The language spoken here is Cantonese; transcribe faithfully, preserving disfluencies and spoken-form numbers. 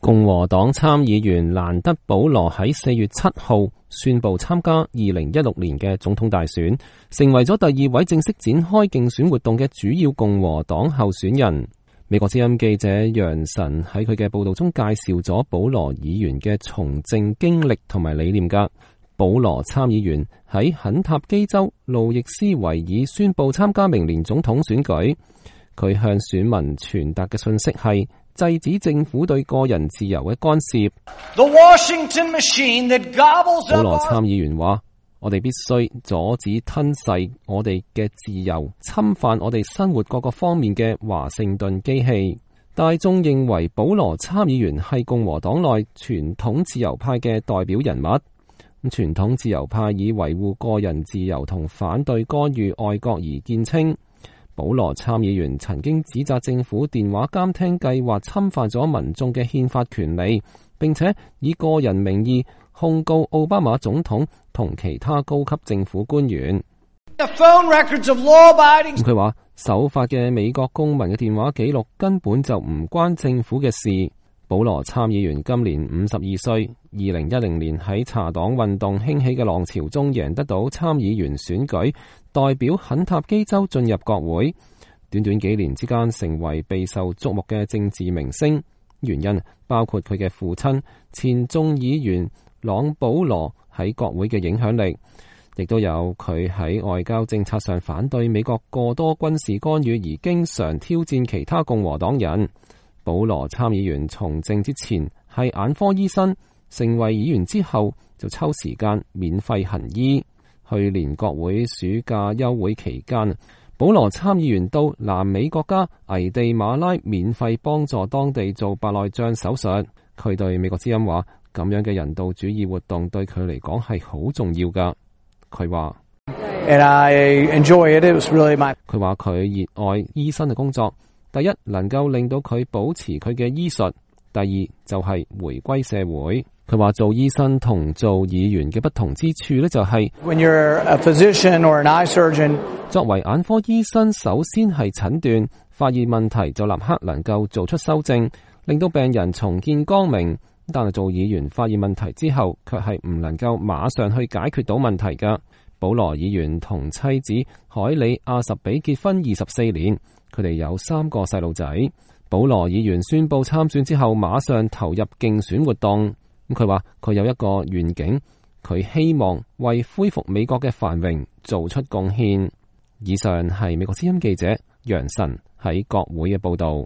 共和黨參議員蘭德保羅喺四月七號宣布參加二零一六年嘅總統大選，成為咗第二位正式展開競選活動嘅主要共和黨候選人。美國之音記者楊晨喺佢嘅報道中介紹咗保羅議員嘅從政經歷同埋理念噶。保羅參議員喺肯塔基州路易斯維爾宣布參加明年總統選舉，佢向選民傳達嘅信息係制止政府對個人自由嘅干涉。保羅參議員話：我哋必須阻止吞噬我哋嘅自由、侵犯我哋生活各個方面嘅華盛頓機器。大眾認為保羅參議員係共和黨內傳統自由派嘅代表人物。傳統自由派以維護個人自由同反對干預外國而見稱。保羅參議員曾經指責政府電話監聽計劃侵犯咗民眾嘅憲法權利，並且以個人名義控告奧巴馬總統同其他高級政府官員。佢話守法嘅美國公民嘅電話記錄根本就唔關政府嘅事。保羅參議員今年五十二歲，二零一零年喺查黨運動興起嘅浪潮中贏得到參議員選舉，代表肯塔基州進入國會。短短幾年之間成為備受矚目嘅政治明星，原因包括佢嘅父親前眾議員朗保羅喺國會嘅影響力，亦都有佢喺外交政策上反對美國過多軍事干預而經常挑戰其他共和黨人。保羅參議員從政之前係眼科醫生，成為議員之後就抽時間免費行醫。去年國會暑假休會期間，保羅參議員到南美國家危地馬拉免費幫助當地做白內障手術。佢對美國之音話：咁樣嘅人道主義活動對佢嚟講係好重要噶。佢話：佢話佢熱愛醫生嘅工作。第一，能夠令到佢保持佢嘅醫術；第二，就係回歸社會。佢話做醫生同做議員嘅不同之處呢，就係 When you're a physician or an eye surgeon， 作為眼科醫生，首先係診斷，發現問題就立刻能夠做出修正，令到病人重見光明。但係做議員發現問題之後，卻係唔能夠馬上去解決到問題噶。保羅議員同妻子海里亞什比結婚二十四年。佢哋有三個細路仔。保羅議員宣布參選之後，馬上投入競選活動。咁佢話佢有一個願景，佢希望為恢復美國嘅繁榮做出貢獻。以上係美國之音記者楊晨喺國會嘅報道。